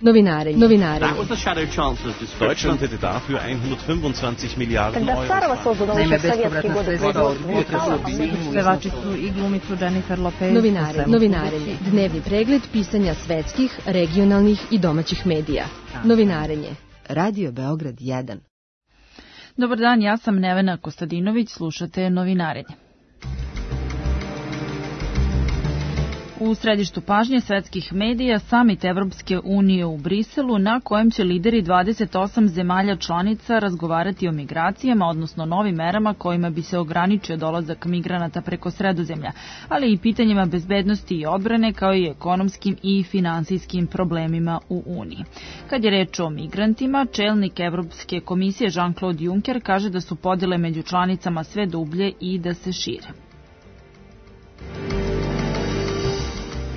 Novinarenje. Deutschland hätte dafür 125 Miliarden Euro. Naime, bespovratna sredstva od pevačicu i glumicu Jennifer Lopez. Novinarenje. Dnevni pregled pisanja svetskih, regionalnih i domaćih medija. Novinarenje. Radio Beograd 1. Dobar dan, ja sam Nevena Kostadinović, slušate Novinarenje. U središtu pažnje svetskih medija Samit Evropske unije u Briselu, na kojem će lideri 28 zemalja članica razgovarati o migracijama, odnosno novim merama kojima bi se ograničio dolazak migranata preko Sredozemlja, ali i pitanjima bezbednosti i odbrane, kao i ekonomskim i finansijskim problemima u Uniji. Kad je reč o migrantima, čelnik Evropske komisije Jean-Claude Juncker kaže da su podele među članicama sve dublje i da se šire.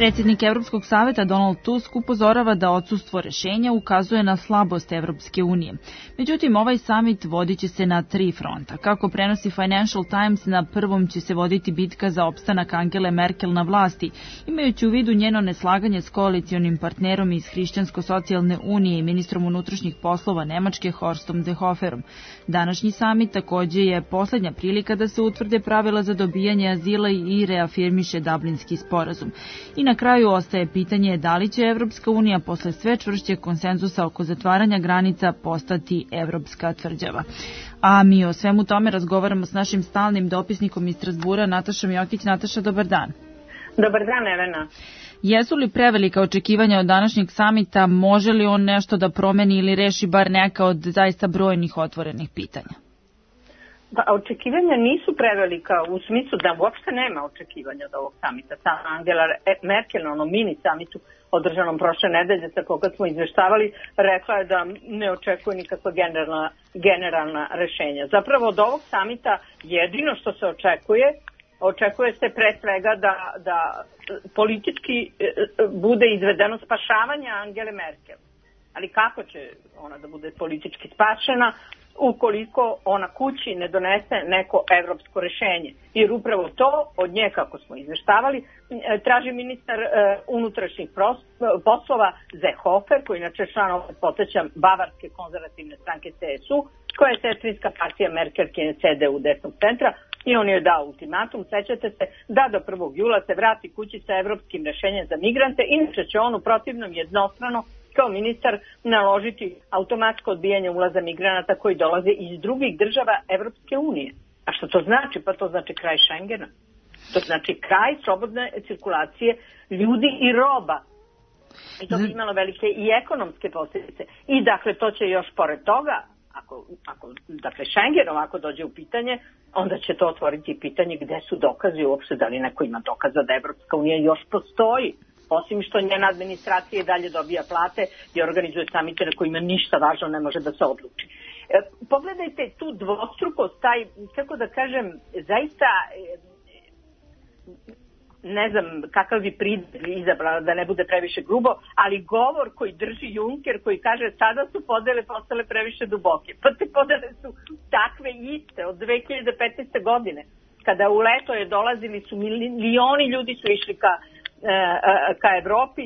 Predsjednik Evropskog saveta Donald Tusk upozorava da odsustvo rešenja ukazuje na slabost Evropske unije. Međutim, ovaj samit vodit će se na 3 fronta. Kako prenosi Financial Times, na prvom će se voditi bitka za opstanak Angele Merkel na vlasti, imajući u vidu njeno neslaganje s koalicionim partnerom iz Hrišćansko-socijalne unije i ministrom unutrašnjih poslova Nemačke Horstom Seehoferom. Današnji samit takođe je poslednja prilika da se utvrde pravila za dobijanje azila i reafirmiše Dublinski sporazum. I na kraju ostaje pitanje da li će Evropska unija posle sve čvršćeg konsenzusa oko zatvaranja granica postati evropska tvrđava. A mi o svemu tome razgovaramo s našim stalnim dopisnikom iz Strazbura, Natašom Jokić. Nataša, dobar dan. Dobar dan, Evena. Jesu li prevelika očekivanja od današnjeg samita? Može li on nešto da promeni ili reši bar neka od zaista brojnih otvorenih pitanja? Pa, očekivanja nisu prevelika u smislu da uopšte nema očekivanja od ovog samita. Sama Angela Merkel na onom mini samitu održanom prošle nedelje sa koga smo izveštavali, rekla je da ne očekuje nikakva generalna rešenja. Zapravo od ovog samita jedino što se očekuje se pre svega da politički bude izvedeno spašavanje Angele Merkel. Ali kako će ona da bude politički spašena ukoliko ona kući ne donese neko evropsko rešenje? Jer upravo to od nje, kako smo izveštavali, traži ministar unutrašnjih poslova Seehofer, koji inače član, opet podsjećam, Bavarske konzervativne stranke CSU, koja je sestrinska partija Merkelkine CDU desnog centra, i on je dao ultimatum, sećate se, da do 1. jula se vrati kući sa evropskim rešenjem za migrante, inače će on u protivnom jednostrano kao ministar naložiti automatsko odbijanje ulaza migranata koji dolaze iz drugih država Evropske unije. A što to znači? Pa to znači kraj Schengena. To znači kraj slobodne cirkulacije ljudi i roba. I to bi imalo velike i ekonomske posljedice. I dakle, to će još pored toga, ako dakle Schengen ovako dođe u pitanje, onda će to otvoriti pitanje gde su dokazi uopšte, da li neko ima dokaza da Evropska unija još postoji. Osim što njena administracija i dalje dobija plate i organizuje samite na kojima ništa važno ne može da se odluči. Pogledajte tu dvostrukost, taj, kako da kažem, zaista ne znam kakav bi pridjev izabrala da ne bude previše grubo, ali govor koji drži Juncker, koji kaže sada su podele postale previše duboke. Pa te podele su takve iste od 2015. godine. Kada u leto je dolazili su milioni ljudi su išli ka Evropi,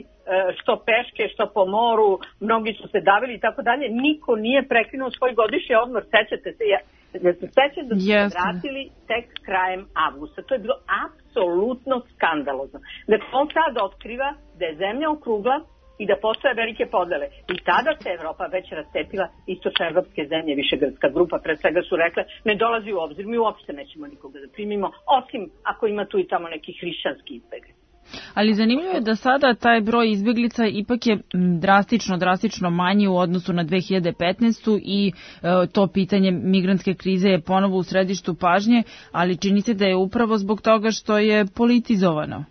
što peške, što po moru, mnogi su se davili i tako dalje. Niko nije prekinuo svoj godišnji odmor, sećate se, da su se vratili tek krajem avgusta. To je bilo apsolutno skandalozno. Dakle, on sad otkriva da je zemlja okrugla i da postoje velike podele. I tada se Evropa već rastepila, istočno-evropske zemlje, Višegradska grupa, pred svega su rekle, ne dolazi u obzir, mi uopšte nećemo nikoga da primimo, osim ako ima tu i tamo neki hrišćanski izbjeg. Ali zanimljivo je da sada taj broj izbjeglica ipak je drastično manji u odnosu na 2015. i to pitanje migrantske krize je ponovo u središtu pažnje, ali čini se da je upravo zbog toga što je politizovano.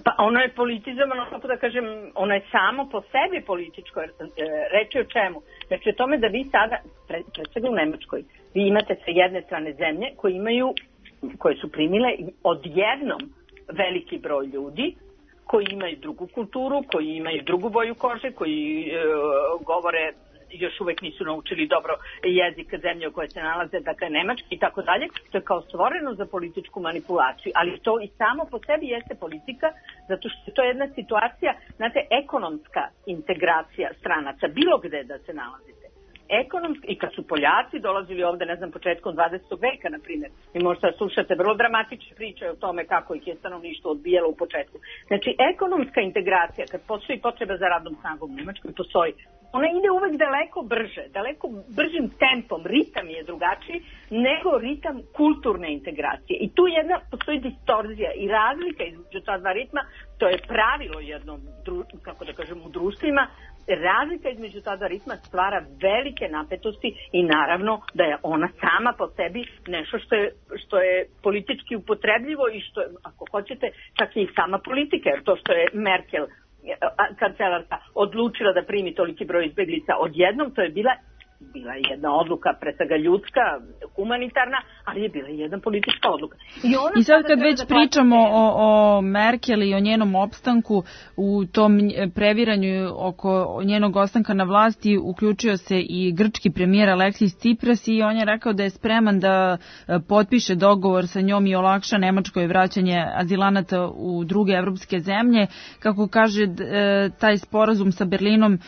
Pa ono je politizovano, kako da kažem, ono je samo po sebi političko. Reći o čemu? Znači o tome da vi sada, pred svega u Nemačkoj, vi imate sa jedne strane zemlje koje su primile odjednom veliki broj ljudi koji imaju drugu kulturu, koji imaju drugu boju kože, koji govore još uvek nisu naučili dobro jezik zemlje u kojoj se nalaze, dakle nemački i tako dalje. To je kao stvoreno za političku manipulaciju, ali to i samo po sebi jeste politika, zato što to je jedna situacija, znate, ekonomska integracija stranaca, bilo gde da se nalazite. Ekonomski, i kad su Poljaci dolazili ovde, ne znam, početkom 20. veka, na primjer, i možda slušate vrlo dramatične priče o tome kako ih je stanovništvo odbijalo u početku. Znači, ekonomska integracija, kad postoji potreba za radnom snagom u Nemačkoj, postoji. Ona ide uvek daleko brže, daleko bržim tempom, ritam je drugačiji nego ritam kulturne integracije. I tu postoji distorzija i razlika između ta dva ritma, to je pravilo jednom, kako da kažem, u društvima. Razlika između ta dva ritma stvara velike napetosti i naravno da je ona sama po sebi nešto što je politički upotrebljivo i što je, ako hoćete, čak i sama politika, jer to što je Merkel, kancelarka, odlučila da primi toliki broj izbeglica odjednom, to je bila jedna odluka, pre svega ljudska, humanitarna, ali je bila jedna politička odluka. I sad kad već pričamo o Merkel i o njenom opstanku, u tom previranju oko njenog ostanka na vlasti uključio se i grčki premijer Aleksis Tsipras i on je rekao da je spreman da potpiše dogovor sa njom i olakša Nemačkoj vraćanje azilanata u druge evropske zemlje. Kako kaže, taj sporazum sa Berlinom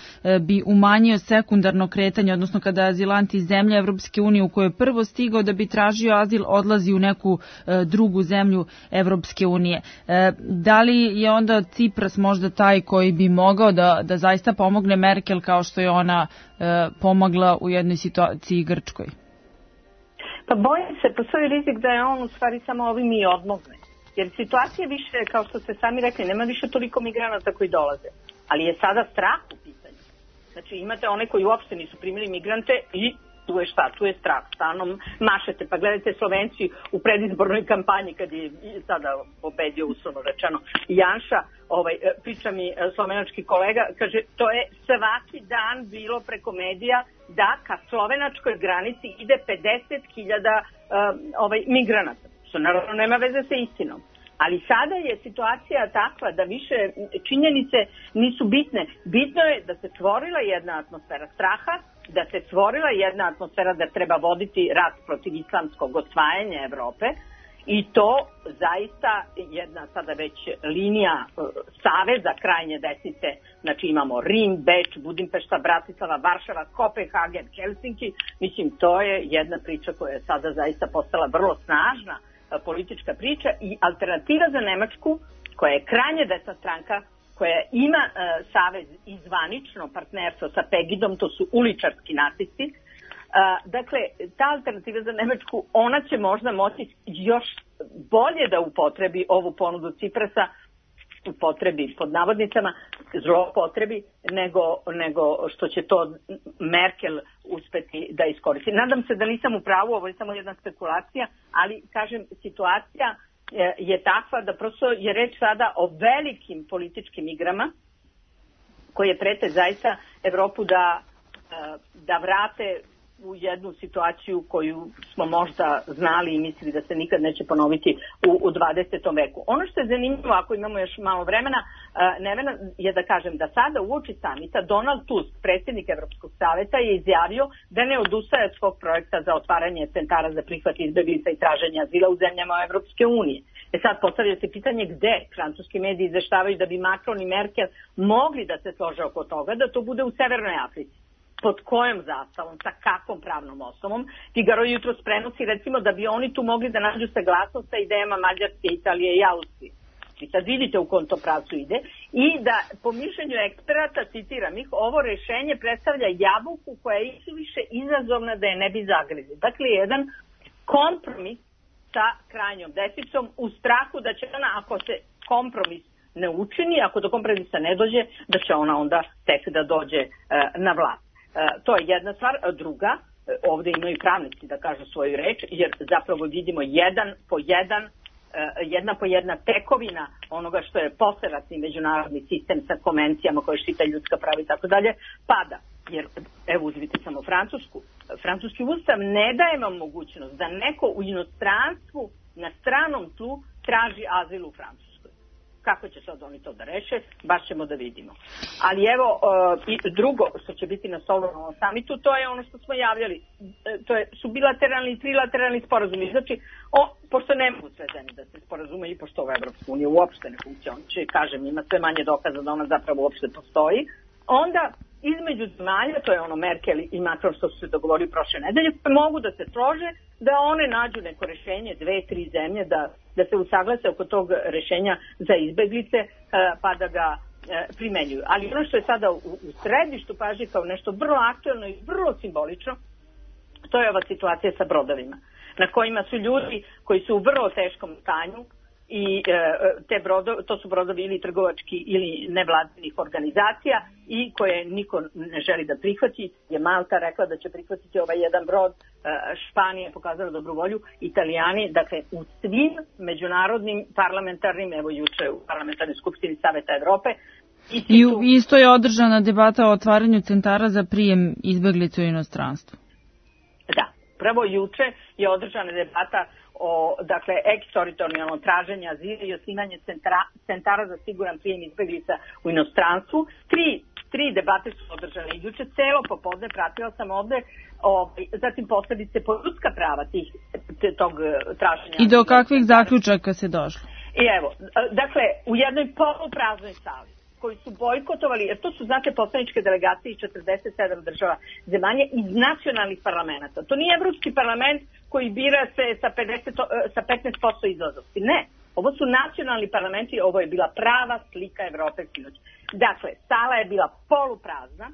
bi umanjio sekundarno kretanje, odnosno kada azilanti iz zemlje Evropske unije u kojoj je prvo stigao da bi tražio azil odlazi u neku drugu zemlju Evropske unije. Da li je onda Tsipras možda taj koji bi mogao da zaista pomogne Merkel kao što je ona pomogla u jednoj situaciji Grčkoj? Pa bojim se, postoji rizik da je on u stvari samo ovim i odmogne. Jer situacija više, kao što ste sami rekli, nema više toliko migranata koji dolaze. Ali je sada strah u pitanju. Znači imate one koji uopšte nisu primili migrante i tu je šta? Tu je strah. Stalno mašete. Pa gledajte, Slovenci u predizbornoj kampanji kad je sada pobedio, uslovno rečeno, Janša, priča mi slovenački kolega, kaže, to je svaki dan bilo preko medija da ka slovenačkoj granici ide 50.000 migranata. Što naravno nema veze sa istinom. Ali sada je situacija takva da više činjenice nisu bitne. Bitno je da se stvorila jedna atmosfera straha, da se stvorila jedna atmosfera da treba voditi rat protiv islamskog osvajanja Evrope i to zaista jedna sada već linija saveza krajnje desnice. Znači imamo Rim, Beč, Budimpešta, Bratislava, Varšava, Kopenhagen, Helsinki. Mislim, to je jedna priča koja je sada zaista postala vrlo snažna politička priča i alternativa za Nemačku, koja je krajnje desna stranka, koja ima savez i zvanično partnerstvo sa Pegidom, to su uličarski nacisti. Dakle, ta alternativa za Nemačku, ona će možda moći još bolje da upotrebi ovu ponudu Tsiprasa, upotrebi pod navodnicama, zlopotrebi, nego što će to Merkel uspeti da iskoristi. Nadam se da nisam u pravu, ovo je samo jedna spekulacija, ali kažem, situacija je takva da prosto je reč sada o velikim političkim igrama koje prete zaista Evropu da vrate u jednu situaciju koju smo možda znali i mislili da se nikad neće ponoviti u 20. veku. Ono što je zanimljivo, ako imamo još malo vremena, Nevena, je da kažem da sada uoči samita Donald Tusk, predsjednik Evropskog saveta, je izjavio da ne odustaje od svog projekta za otvaranje centara za prihvat izbeglica i traženje azila u zemljama Evropske unije. Sad postavlja se pitanje gde francuski mediji izveštavaju da bi Macron i Merkel mogli da se slože oko toga, da to bude u Severnoj Africi. Pod kojom zastavom, sa kakvom pravnom osnovom. Figaro jutros prenosi recimo da bi oni tu mogli da nađu saglasnost sa idejama Mađarske, Italije i Austrije. I sad vidite u kom to pravcu ide. I da po mišljenju eksperata, citiram ih, ovo rešenje predstavlja jabuku koja je više izazovna da je ne bi zagrizli. Dakle, jedan kompromis sa krajnjom desnicom u strahu da će ona, ako se kompromis ne učini, ako do kompromisa ne dođe, da će ona onda tek da dođe na vlast. To je jedna stvar. Druga, ovde imaju pravnici da kažu svoju reč, jer zapravo vidimo jedna po jedna tekovina onoga što je posleratni međunarodni sistem sa konvencijama koje štite ljudska prava i tako dalje, pada. Jer, evo uzmite samo Francusku. Francuski ustav ne daje vam mogućnost da neko u inostranstvu na stranom tlu traži azil u Francuskoj. kako će sad oni to da reše, baš ćemo da vidimo. Ali evo, i drugo što će biti na stolu na ovom samitu, to je ono što smo javljali. Su bilateralni i trilateralni sporazumi. Znači, pošto ne mogu sve zemlje da se sporazume i pošto ova Evropska unija uopšte ne funkcioniše, kažem, ima sve manje dokaza da ona zapravo uopšte postoji, onda između zemalja, to je ono Merkel i Macron što su se dogovorili prošle nedelje, mogu da se slože da one nađu neko rešenje, 2-3 zemlje, da se usaglase oko tog rešenja za izbeglice, pa da ga primenjuju. Ali ono što je sada u središtu pažnje kao nešto vrlo aktuelno i vrlo simbolično, to je ova situacija sa brodovima, na kojima su ljudi koji su u vrlo teškom stanju i to su brodovi ili trgovački ili nevladinih organizacija i koje niko ne želi da prihvati. Je Malta rekla da će prihvatiti ovaj jedan brod, Španija je pokazala dobru volju, Italijani, dakle u svim međunarodnim parlamentarnim, evo juče u parlamentarnoj skupštini Saveta Evrope. I isto je održana debata o otvaranju centara za prijem izbeglica u inostranstvu. Da, prvo juče je održana debata o, dakle, eksteritorijalno traženje azila i osnivanje centara za siguran prijem izbeglica u inostranstvu. Tri debate su održane. Juče celo popodne pratila sam ovde, zatim posledice po ljudska prava tog traženja. I do kakvih zaključaka se došlo? I evo, dakle, u jednoj polupraznoj sali koji su bojkotovali, jer to su, znate, poslaničke delegacije iz 47 država zemalja iz nacionalnih parlamenta. To nije Evropski parlament koji bira se sa 15% izlaznosti. Ne, ovo su nacionalni parlamenti, ovo je bila prava slika Evrope sinoć. Dakle, sala je bila poluprazna,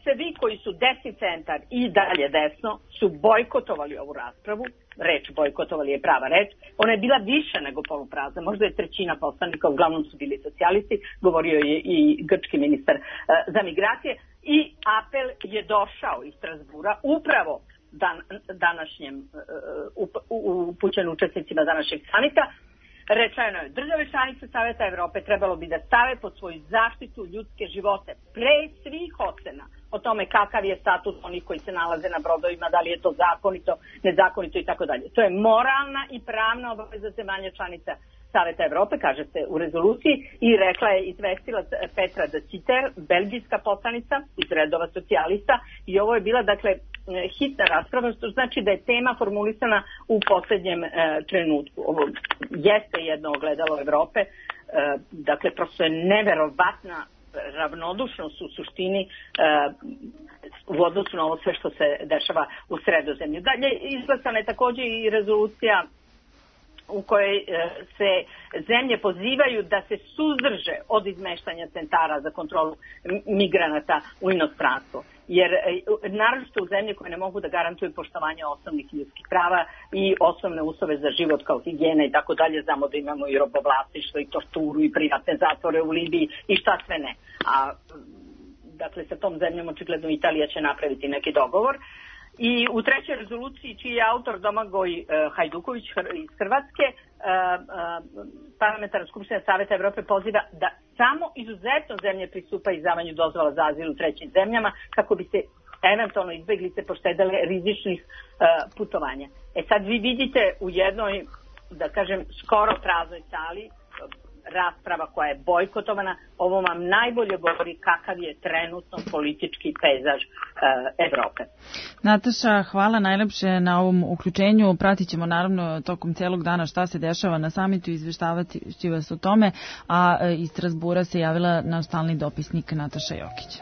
svi koji su desni centar i dalje desno su bojkotovali ovu raspravu, reč bojkotovali je prava reč, ona je bila više nego poluprazna, možda je trećina poslanika, uglavnom su bili socijalisti, govorio je i grčki ministar za migracije i apel je došao iz Strasbura upravo današnjem upućen učesnicima današnjeg samita. Rečeno je, države članice Saveta Evrope trebalo bi da stave pod svoju zaštitu ljudske živote pre svih ocena o tome kakav je status onih koji se nalaze na brodovima, da li je to zakonito, nezakonito i tako dalje. To je moralna i pravna obaveza zemalja članica Saveta Evrope, kaže se u rezoluciji, i rekla je izvestila Petra de Sitter, belgijska poslanica iz redova socijalista, i ovo je bila, dakle, hitna rasprava, što znači da je tema formulisana u poslednjem trenutku. Ovo jeste jedno ogledalo Evrope, dakle, prosto je neverovatna ravnodušnost u suštini u odnosu na ovo sve što se dešava u Sredozemlju. Dalje, izglasana je takođe i rezolucija u kojoj se zemlje pozivaju da se suzdrže od izmeštanja centara za kontrolu migranata u inostranstvo. Jer naročito u zemlje koje ne mogu da garantuju poštovanje osnovnih ljudskih prava i osnovne uslove za život kao higijena i tako dalje, znamo da imamo i robovlasništvo i torturu i privatne zatvore u Libiji i šta sve ne. A dakle sa tom zemljom očigledno Italija će napraviti neki dogovor. I u trećoj rezoluciji, čiji je autor Domagoj Hajduković iz Hrvatske, parlamentarna skupština Saveta Evrope poziva da samo izuzetno zemlje pristupa izdavanju dozvola za azil u trećim zemljama kako bi se eventualno izbeglice poštedele rizičnih putovanja. Sad vi vidite u jednoj, da kažem, skoro praznoj sali rasprava koja je bojkotovana, ovo vam najbolje govori kakav je trenutno politički pejzaž Evrope. Nataša, hvala najlepše na ovom uključenju. Pratit ćemo naravno tokom celog dana šta se dešava na samitu i izveštavati ću vas o tome, a iz Strasbura se javila naš stalni dopisnik Nataša Jokić.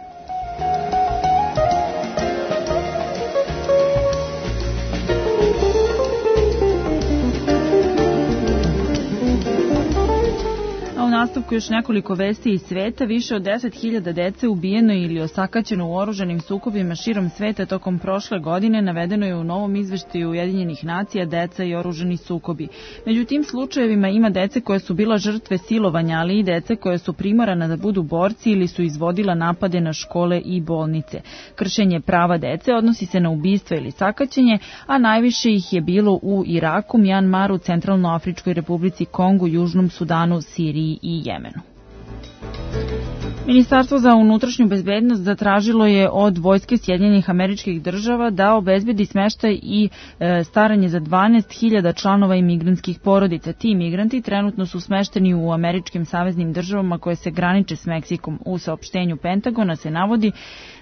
U nastavku još nekoliko vesti iz sveta. Više od 10.000 dece ubijeno ili osakaćeno u oružanim sukobima širom sveta tokom prošle godine, navedeno je u novom izveštaju Ujedinjenih nacija Deca i oružani sukobi. Među tim slučajevima ima dece koje su bila žrtve silovanja, ali i dece koje su primorana da budu borci ili su izvodila napade na škole i bolnice. Kršenje prava dece odnosi se na ubistva ili sakaćenje, a najviše ih je bilo u Iraku, Mjanmaru, Centralnoafričkoj Republici, Kongu, Južnom Sudanu, Siriji i Jemenu. Ministarstvo za unutrašnju bezbednost zatražilo je od Vojske Sjedinjenih Američkih Država da obezbedi smeštaj i staranje za 12.000 članova imigrantskih porodica. Ti migranti trenutno su smešteni u američkim saveznim državama koje se graniče s Meksikom. U saopštenju Pentagona se navodi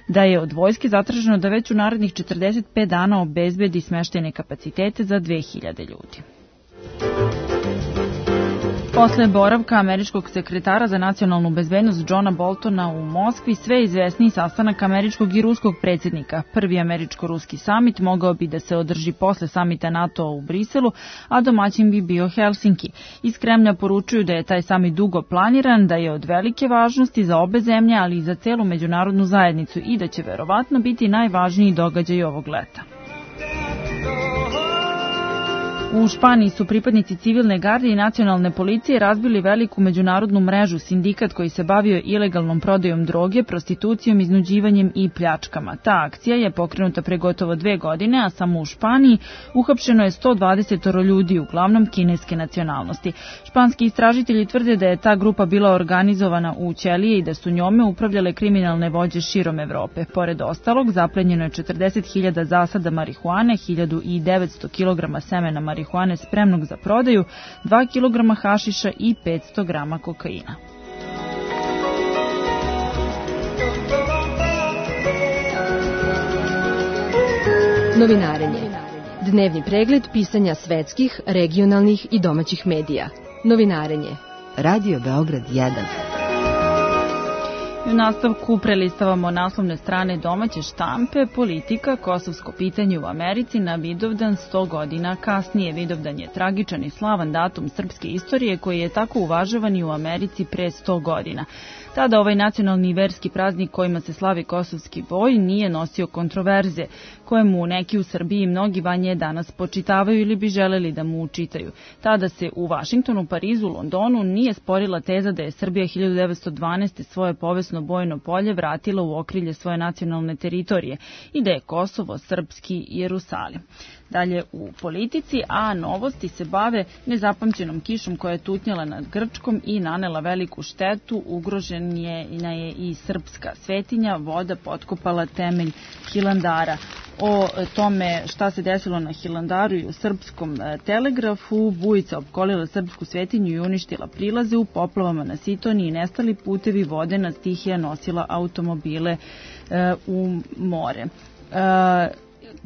da je od vojske zatraženo da već u narednih 45 dana obezbedi smeštajne kapacitete za 2.000 ljudi. Posle boravka američkog sekretara za nacionalnu bezbednost Johna Boltona u Moskvi, sve izvesniji sastanak američkog i ruskog predsjednika. Prvi američko-ruski samit mogao bi da se održi posle samita NATO u Briselu, a domaćin bi bio Helsinki. Iz Kremlja poručuju da je taj samit dugo planiran, da je od velike važnosti za obe zemlje, ali i za celu međunarodnu zajednicu i da će verovatno biti najvažniji događaj ovog leta. U Španiji su pripadnici civilne garde i nacionalne policije razbili veliku međunarodnu mrežu, sindikat koji se bavio ilegalnom prodajom droge, prostitucijom, iznuđivanjem i pljačkama. Ta akcija je pokrenuta pre gotovo 2 godine, a samo u Španiji uhapšeno je 120 ljudi, uglavnom kineske nacionalnosti. Španski istražitelji tvrde da je ta grupa bila organizovana u ćelije i da su njome upravljale kriminalne vođe širom Evrope. Pored ostalog, zaplenjeno je 40.000 zasada marihuane, 1.900 kg semena marihuane spremnog za prodaju, 2 kg hašiša i 500 grama kokaina. Novinarenje. Dnevni pregled pisanja svetskih, regionalnih i domaćih medija. Novinarenje. Radio Beograd 1. U nastavku prelistavamo naslovne strane domaće štampe, politika, kosovsko pitanje u Americi na Vidovdan 100 godina kasnije. Vidovdan je tragičan i slavan datum srpske istorije koji je tako uvažavan i u Americi pre 100 godina. Tada ovaj nacionalni i verski praznik kojima se slavi kosovski boj nije nosio kontroverze, kojemu neki u Srbiji i mnogi van nje danas počitavaju ili bi želeli da mu učitaju. Tada se u Vašingtonu, Parizu, Londonu nije sporila teza da je Srbija 1912. svoje povesno bojno polje vratila u okrilje svoje nacionalne teritorije i da je Kosovo srpski Jerusalim. Dalje u politici, a novosti se bave nezapamćenom kišom koja je tutnjala nad Grčkom i nanela veliku štetu. Ugrožena je i srpska svetinja, voda potkopala temelj Hilandara. O tome šta se desilo na Hilandaru i u Srpskom telegrafu, bujica opkolila srpsku svetinju i uništila prilaze, u poplavama na Sitoniji nestali putevi, vodena stihija nosila automobile u more.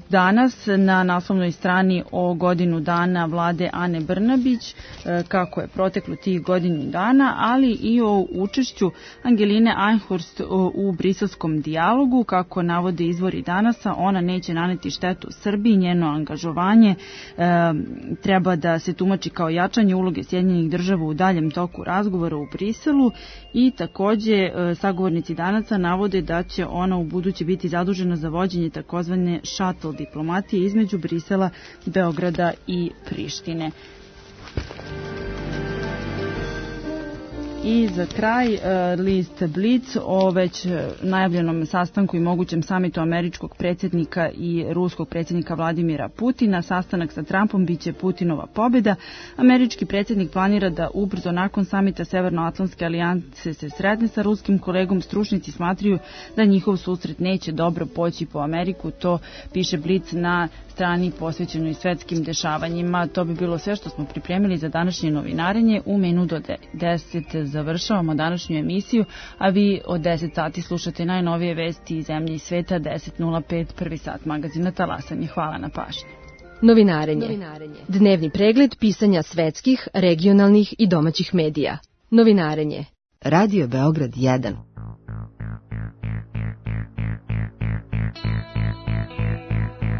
Danas na naslovnoj strani o godinu dana vlade Ane Brnabić, kako je proteklo tih godinu dana, ali i o učešću Angeline Einhorst u briselskom dijalogu. Kako navode izvori Danasa, ona neće naneti štetu Srbiji, njeno angažovanje treba da se tumači kao jačanje uloge Sjedinjenih Država u daljem toku razgovora u Briselu i takođe sagovornici Danasa navode da će ona u buduće biti zadužena za vođenje takozvane shuttle diplomatije između Brisela, Beograda i Prištine. I za kraj list Blic o već najavljenom sastanku i mogućem samitu američkog predsjednika i ruskog predsjednika Vladimira Putina. Sastanak sa Trumpom biće Putinova pobjeda. Američki predsjednik planira da ubrzo nakon samita Severnoatlantske alijanse se sretne sa ruskim kolegom. Stručnjaci smatraju da njihov susret neće dobro poći po Ameriku. To piše Blic na strani posvećenoj svetskim dešavanjima. To bi bilo sve što smo pripremili za današnje novinarenje. U minut do 10 završavamo današnju emisiju, a vi od 10 sati slušate najnovije vesti iz zemlje i sveta. 10.05, prvi sat magazina Talasanje. Hvala na pažnji. Novinarenje. Dnevni pregled pisanja svetskih, regionalnih i domaćih medija. Novinarenje. Radio Beograd 1.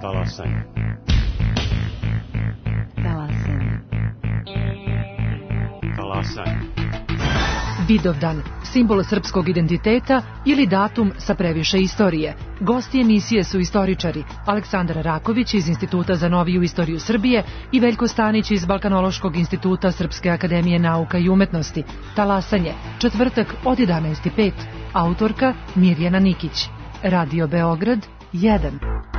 Talasanje. Talasanje. Vidovdan, simbol srpskog identiteta ili datum sa previše istorije. Gosti emisije su istoričari Aleksandar Raković iz Instituta za noviju istoriju Srbije i Veljko Stanić iz Balkanološkog instituta Srpske akademije nauka i umetnosti. Talasanje, četvrtak od 11.05. Autorka Mirjana Nikić. Radio Beograd 1.